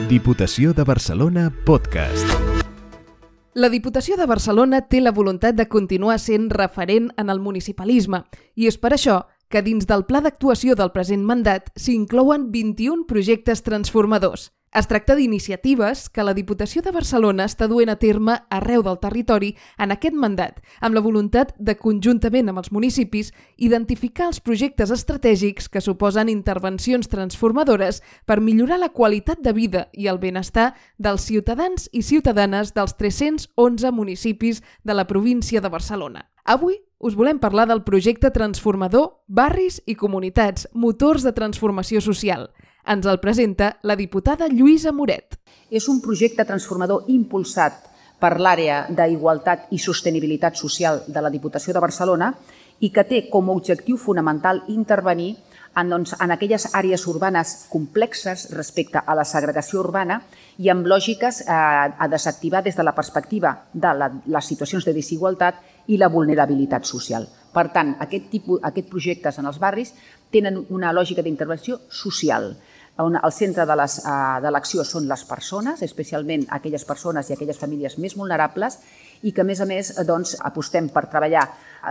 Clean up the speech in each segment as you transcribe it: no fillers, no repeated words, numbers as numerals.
Diputació de Barcelona Podcast. La Diputació de Barcelona té la voluntat de continuar sent referent en el municipalisme i és per això que dins del pla d'actuació del present mandat s'inclouen 21 projectes transformadors. Es tracta d'iniciatives que la Diputació de Barcelona està duent a terme arreu del territori en aquest mandat, amb la voluntat de, conjuntament amb els municipis, identificar els projectes estratègics que suposen intervencions transformadores per millorar la qualitat de vida i el benestar dels ciutadans i ciutadanes dels 311 municipis de la província de Barcelona. Avui us volem parlar del projecte transformador Barris i Comunitats, motors de transformació social. Ens el presenta la diputada Lluïsa Moret. És un projecte transformador impulsat per l'àrea d'Igualtat i Sostenibilitat Social de la Diputació de Barcelona i que té com a objectiu fonamental intervenir en aquelles àrees urbanes complexes respecte a la segregació urbana i amb lògiques a desactivar des de la perspectiva de les situacions de desigualtat i la vulnerabilitat social. Per tant, aquests projectes en els barris tenen una lògica d'intervenció social. El centre de l'acció són les persones, especialment aquelles persones i aquelles famílies més vulnerables, i que, a més, apostem per treballar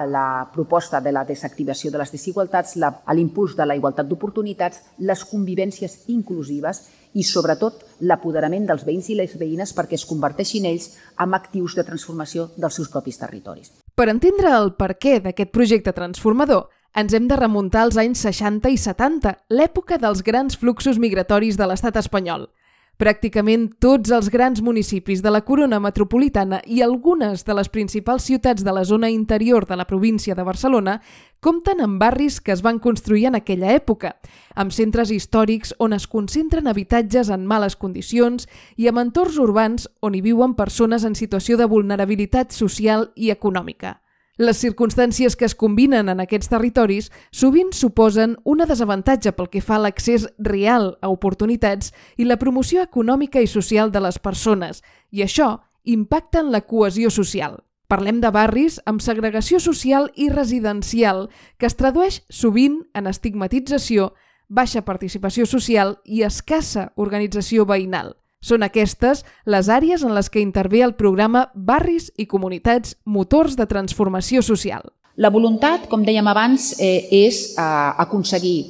la proposta de la desactivació de les desigualtats, l'impuls de la igualtat d'oportunitats, les convivències inclusives i, sobretot, l'apoderament dels veïns i les veïnes perquè es converteixin ells en actius de transformació dels seus propis territoris. Per entendre el perquè d'aquest projecte transformador, ens hem de remuntar als anys 60 i 70, l'època dels grans fluxos migratoris de l'estat espanyol. Pràcticament tots els grans municipis de la corona metropolitana i algunes de les principals ciutats de la zona interior de la província de Barcelona compten amb barris que es van construir en aquella època, amb centres històrics on es concentren habitatges en males condicions i amb entorns urbans on hi viuen persones en situació de vulnerabilitat social i econòmica. Les circumstàncies que es combinen en aquests territoris sovint suposen un desavantatge pel que fa a l'accés real a oportunitats i la promoció econòmica i social de les persones, i això impacta en la cohesió social. Parlem de barris amb segregació social i residencial que es tradueix sovint en estigmatització, baixa participació social i escassa organització veïnal. Són aquestes les àrees en les que intervé el programa Barris i Comunitats, motors de transformació social. La voluntat, com dèiem abans, és aconseguir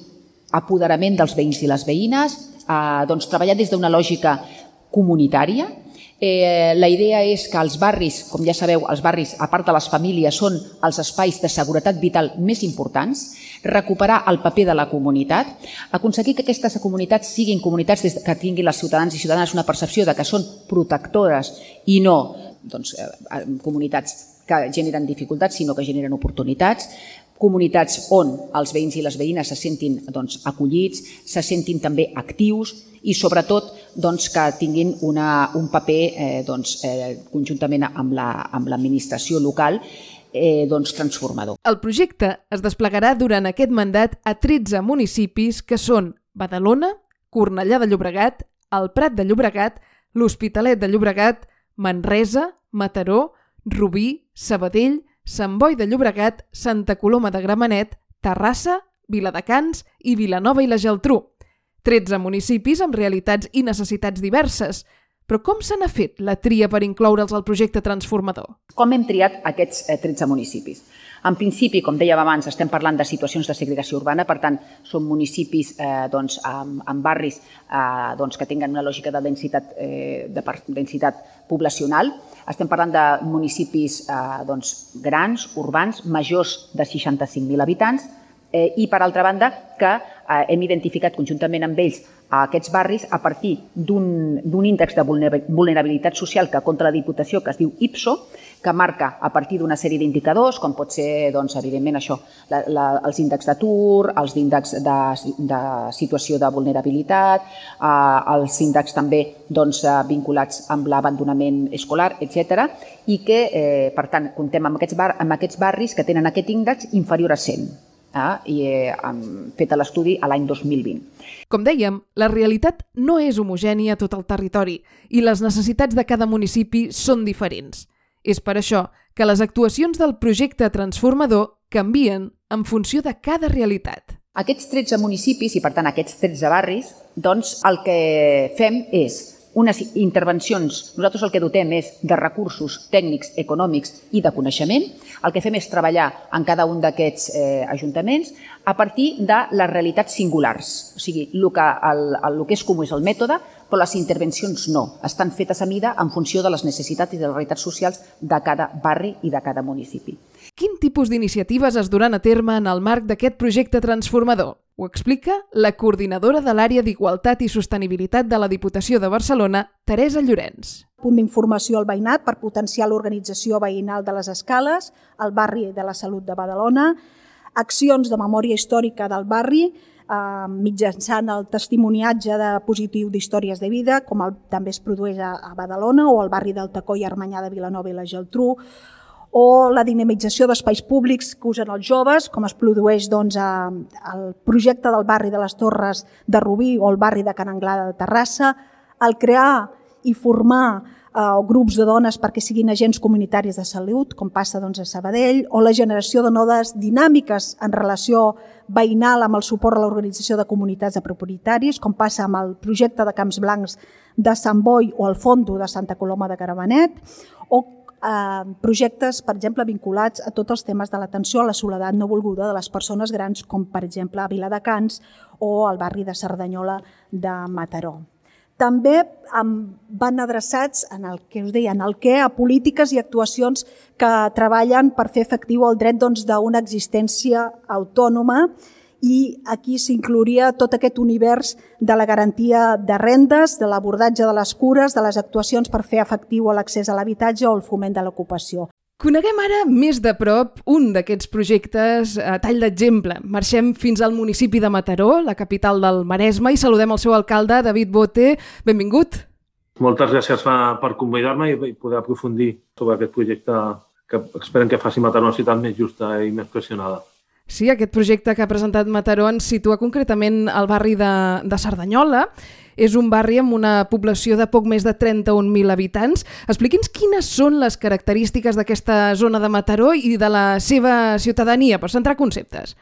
apoderament dels veïns i les veïnes, treballar des d'una lògica comunitària. La idea és que els barris, com ja sabeu, els barris, a part de les famílies, són els espais de seguretat vital més importants, recuperar el paper de la comunitat, aconseguir que aquestes comunitats siguin comunitats que tinguin els ciutadans i ciutadanes una percepció de que són protectores i no comunitats que generen dificultats, sinó que generen oportunitats, comunitats on els veïns i les veïnes se sentin acollits, se sentin també actius i sobretot que tinguin un paper conjuntament amb l'administració local transformador. El projecte es desplegarà durant aquest mandat a 13 municipis que són Badalona, Cornellà de Llobregat, el Prat de Llobregat, l'Hospitalet de Llobregat, Manresa, Mataró, Rubí, Sabadell, Sant Boi de Llobregat, Santa Coloma de Gramenet, Terrassa, Viladecans i Vilanova i la Geltrú. 13 municipis amb realitats i necessitats diverses. Però com se n'ha fet la tria per incloure'ls al projecte transformador? Com hem triat aquests 13 municipis? En principi, com dèiem abans, estem parlant de situacions de segregació urbana, per tant, són municipis amb barris que tinguen una lògica de densitat poblacional. Estem parlant de municipis grans, urbans, majors de 65.000 habitants, i, per altra banda, que hem identificat conjuntament amb ells aquests barris a partir d'un índex de vulnerabilitat social que compta la Diputació, que es diu IPSO, que marca a partir d'una sèrie d'indicadors, com pot ser, evidentment, això, els índexs d'atur, els índexs de situació de vulnerabilitat, els índexs també vinculats amb l'abandonament escolar, etc. I que, per tant, comptem amb aquests barris que tenen aquest índex inferior a 100. I hem fet l'estudi a l'any 2020. Com dèiem, la realitat no és homogènia a tot el territori i les necessitats de cada municipi són diferents. És per això que les actuacions del projecte transformador canvien en funció de cada realitat. Aquests 13 municipis i, per tant, aquests 13 barris, doncs el que fem és unes intervencions. Nosaltres el que dotem és de recursos tècnics, econòmics i de coneixement. El que fem és treballar en cada un d'aquests ajuntaments a partir de les realitats singulars. O sigui, el que és comú és el mètode, però les intervencions no. Estan fetes a mida en funció de les necessitats i de les realitats socials de cada barri i de cada municipi. Quin tipus d'iniciatives es duran a terme en el marc d'aquest projecte transformador? Ho explica la coordinadora de l'àrea d'Igualtat i Sostenibilitat de la Diputació de Barcelona, Teresa Llorenç. Punt d'informació al veïnat per potenciar l'organització veïnal de les escales, el barri de la Salut de Badalona, accions de memòria històrica del barri, mitjançant el testimoniatge de positiu d'històries de vida, com també es produeix a Badalona o al barri del Tacó i Armanyà de Vilanova i la Geltrú, o la dinamització d'espais públics que usen els joves, com es produeix al projecte del barri de les Torres de Rubí o el barri de Can Anglada de Terrassa, el crear i formar grups de dones perquè siguin agents comunitaris de salut, com passa a Sabadell, o la generació de noves dinàmiques en relació veïnal amb el suport a l'organització de comunitats de propietaris, com passa amb el projecte de Camps Blancs de Sant Boi o el Fondo de Santa Coloma de Gramenet, o projectes, per exemple, vinculats a tots els temes de l'atenció a la soledat no volguda de les persones grans, com per exemple a Viladecans o al barri de Cerdanyola de Mataró. També van adreçats en el que us deia, en el què, a polítiques i actuacions que treballen per fer efectiu el dret d'una existència autònoma, i aquí s'inclouria tot aquest univers de la garantia de rendes, de l'abordatge de les cures, de les actuacions per fer efectiu l'accés a l'habitatge o el foment de l'ocupació. Coneguem ara més de prop un d'aquests projectes a tall d'exemple. Marxem fins al municipi de Mataró, la capital del Maresme, i saludem el seu alcalde, David Bote. Benvingut. Moltes gràcies per convidar-me i poder aprofundir sobre aquest projecte que esperem que faci Mataró una ciutat més justa i més cohesionada. Sí, aquest projecte que ha presentat Mataró ens situa concretament al barri de Cerdanyola. És un barri amb una població de poc més de 31.000 habitants. Expliqui'ns quines són les característiques d'aquesta zona de Mataró i de la seva ciutadania, per centrar conceptes.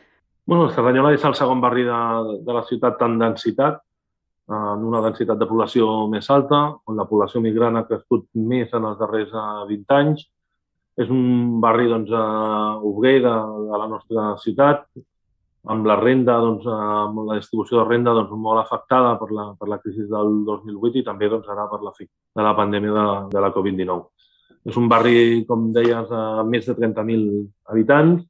Cerdanyola és el segon barri de la ciutat en densitat, en una densitat de població més alta, on la població migrant ha crescut més en els darrers 20 anys. És un barri obrer de la nostra ciutat, amb la renda, amb la distribució de renda molt afectada per la crisi del 2008 i també ara per l'efecte de la pandèmia de la Covid-19. És un barri, com deies, amb més de 30.000 habitants,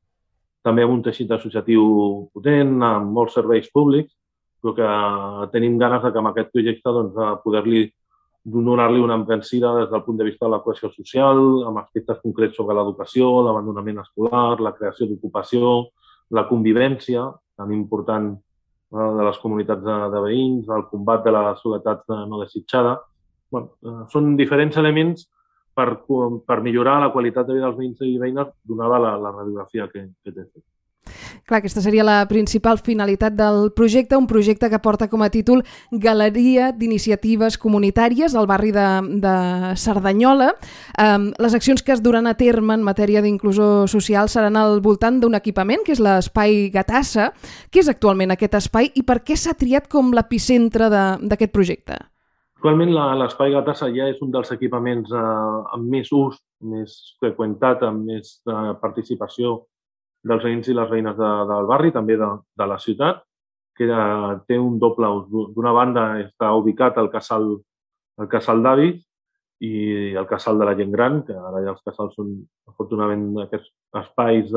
també amb un teixit associatiu potent, amb molts serveis públics, però que tenim ganes que amb aquest projecte poder-li donar-li una embranzida des del punt de vista de la cohesió social, amb aspectes concrets sobre l'educació, l'abandonament escolar, la creació d'ocupació, la convivència, tan important de les comunitats de veïns, el combat de la soledat no desitjada. Són diferents elements per millorar la qualitat de vida dels veïns i veïnes donada la radiografia que té fet. Clar, aquesta seria la principal finalitat del projecte, un projecte que porta com a títol Galeria d'Iniciatives Comunitàries al barri de Cerdanyola. Les accions que es duran a terme en matèria d'inclusió social seran al voltant d'un equipament, que és l'Espai Gatassa. Què és actualment aquest espai i per què s'ha triat com l'epicentre d'aquest projecte? Actualment l'Espai Gatassa ja és un dels equipaments amb més ús, més freqüentat, amb més participació dels veïns i les veïnes del barri, també de la ciutat, que té un doble ús. D'una banda està ubicat al casal d'avis i el casal de la gent gran, que ara ja els casals són afortunadament aquests espais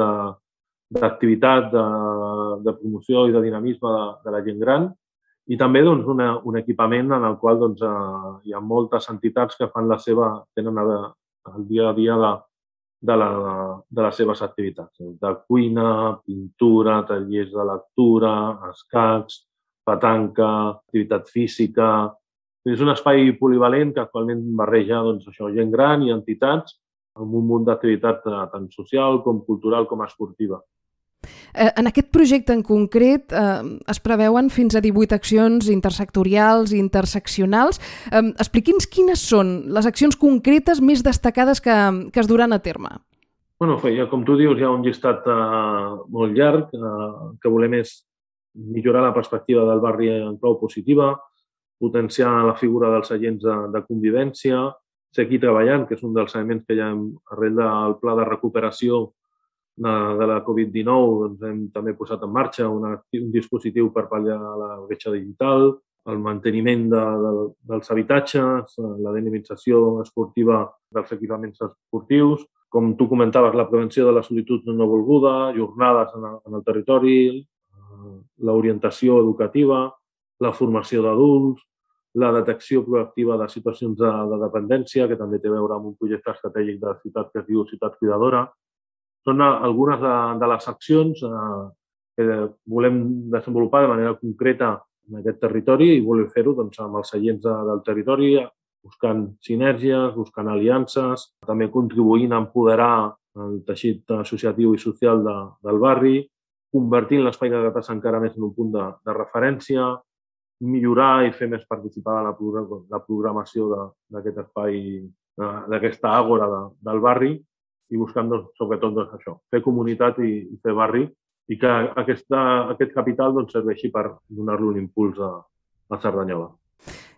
d'activitat, de promoció i de dinamisme de la gent gran, i també un equipament en el qual hi ha moltes entitats que tenen el dia a dia de les seves activitats, de cuina, pintura, tallers de lectura, escacs, petanca, activitat física. És un espai polivalent que actualment barreja gent gran i entitats amb un munt d'activitat tant social com cultural com esportiva. En aquest projecte en concret es preveuen fins a 18 accions intersectorials i interseccionals. Expliqui'ns quines són les accions concretes més destacades que es duran a terme. Com tu dius, hi ha un llistat molt llarg. El que volem és millorar la perspectiva del barri en clau positiva, potenciar la figura dels agents de convivència, seguir treballant, que és un dels elements que ja arrel del pla de recuperació de la Covid-19 doncs hem també posat en marxa un dispositiu per pal·liar la bretxa digital, el manteniment dels habitatges, la dinamització esportiva dels equipaments esportius, com tu comentaves, la prevenció de la solitud no volguda, jornades en el territori, l'orientació educativa, la formació d'adults, la detecció proactiva de situacions de dependència, que també té a veure amb un projecte estratègic de la ciutat que es diu Ciutat Cuidadora. Són algunes de les accions que volem desenvolupar de manera concreta en aquest territori i volem fer-ho amb els agents del territori, buscant sinergies, buscant aliances, també contribuint a empoderar el teixit associatiu i social del barri, convertint l'espai de Gatàs encara més en un punt de referència, millorar i fer més participar la programació d'aquest espai, d'aquesta àgora del barri i buscant sobretot això, fer comunitat i fer barri i que aquest capital serveixi per donar-li un impuls a Cerdanyola.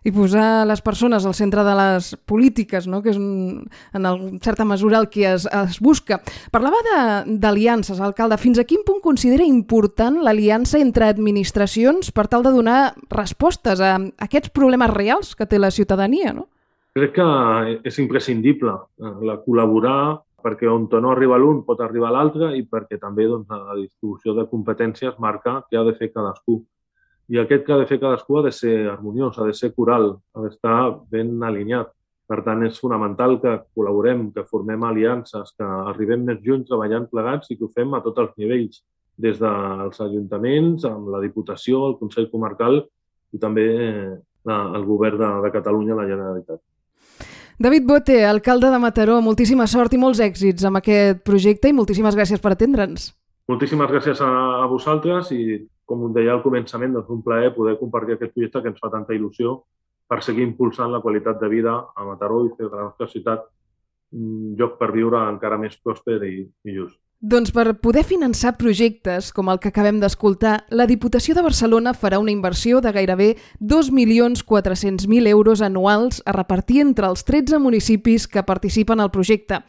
I posar les persones al centre de les polítiques, no? Que és en certa mesura el que es busca. Parlava d'aliances, alcalde. Fins a quin punt considera important l'aliança entre administracions per tal de donar respostes a aquests problemes reals que té la ciutadania, no? Crec que és imprescindible col·laborar perquè on no arriba l'un pot arribar l'altre i perquè també la distribució de competències marca què ha de fer cadascú. I aquest que ha de fer cadascú ha de ser harmoniós, ha de ser coral, ha d'estar ben alineat. Per tant, és fonamental que col·laborem, que formem aliances, que arribem més lluny treballant plegats i que ho fem a tots els nivells, des dels ajuntaments, amb la Diputació, el Consell Comarcal i també el Govern de Catalunya, la Generalitat. David Bote, alcalde de Mataró, moltíssima sort i molts èxits amb aquest projecte i moltíssimes gràcies per atendre'ns. Moltíssimes gràcies a vosaltres i, com us deia al començament, és un plaer poder compartir aquest projecte que ens fa tanta il·lusió per seguir impulsant la qualitat de vida a Mataró i fer de la nostra ciutat un lloc per viure encara més pròsper i just. Doncs per poder finançar projectes com el que acabem d'escoltar, la Diputació de Barcelona farà una inversió de gairebé 2.400.000 euros anuals a repartir entre els 13 municipis que participen al projecte.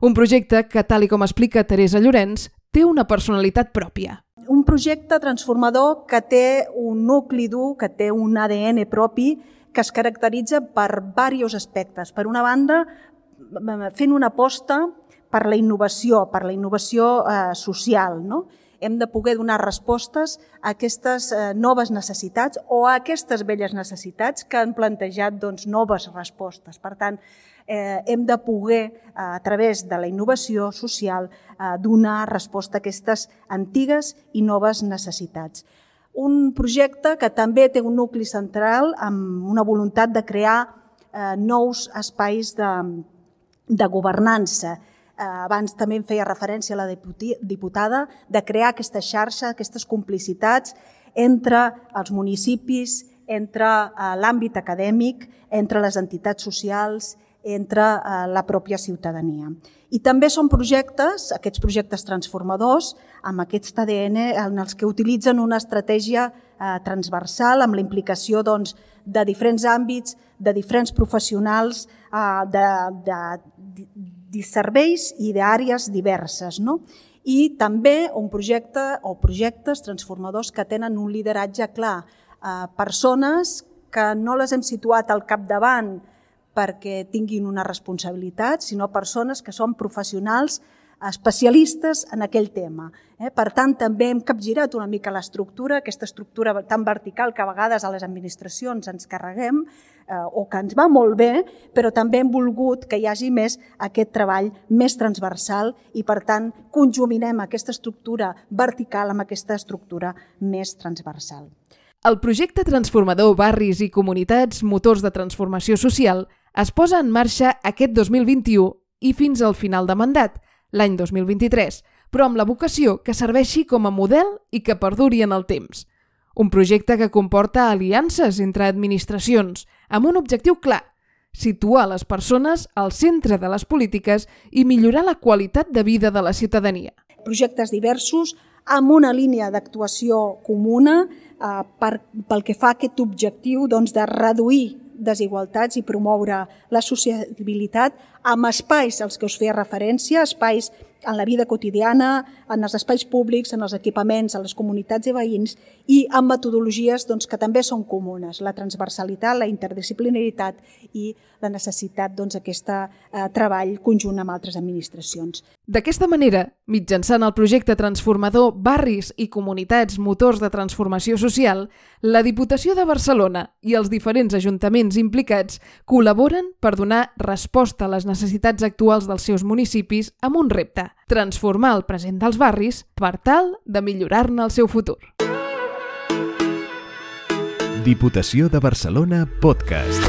Un projecte que, tal com explica Teresa Llorenç, té una personalitat pròpia. Un projecte transformador que té un nucli dur, que té un ADN propi, que es caracteritza per diversos aspectes. Per una banda, fent una aposta per la innovació social. No? Hem de poder donar respostes a aquestes noves necessitats o a aquestes velles necessitats que han plantejat noves respostes. Per tant, hem de poder, a través de la innovació social, donar resposta a aquestes antigues i noves necessitats. Un projecte que també té un nucli central amb una voluntat de crear nous espais de governança. Abans també em feia referència a la diputada de crear aquesta xarxa, aquestes complicitats entre els municipis, entre l'àmbit acadèmic, entre les entitats socials, entre la pròpia ciutadania. I també són projectes, aquests projectes transformadors, amb aquest ADN en els que utilitzen una estratègia transversal amb la implicació de diferents àmbits, de diferents professionals, de serveis i d'àrees diverses. I també un projecte o projectes transformadors que tenen un lideratge clar. Persones que no les hem situat al capdavant perquè tinguin una responsabilitat, sinó persones que són professionals especialistes en aquell tema. Per tant, també hem capgirat una mica l'estructura, aquesta estructura tan vertical que a vegades a les administracions ens carreguem o que ens va molt bé, però també hem volgut que hi hagi més aquest treball més transversal i, per tant, conjuminem aquesta estructura vertical amb aquesta estructura més transversal. El projecte transformador Barris i Comunitats, motors de transformació social, es posa en marxa aquest 2021 i fins al final de mandat, l'any 2023, però amb la vocació que serveixi com a model i que perduri en el temps. Un projecte que comporta aliances entre administracions, amb un objectiu clar, situar les persones al centre de les polítiques i millorar la qualitat de vida de la ciutadania. Projectes diversos amb una línia d'actuació comuna pel que fa a aquest objectiu de reduir desigualtats i promoure la sociabilitat amb espais als que us feia referència, espais en la vida quotidiana, en els espais públics, en els equipaments, en les comunitats i veïns, i amb metodologies que també són comunes, la transversalitat, la interdisciplinaritat i la necessitat d'aquest treball conjunt amb altres administracions. D'aquesta manera, mitjançant el projecte transformador Barris i Comunitats Motors de Transformació Social, la Diputació de Barcelona i els diferents ajuntaments implicats col·laboren per donar resposta a les necessitats actuals dels seus municipis amb un repte: transformar el present dels barris per tal de millorar-ne el seu futur. Diputació de Barcelona Podcast.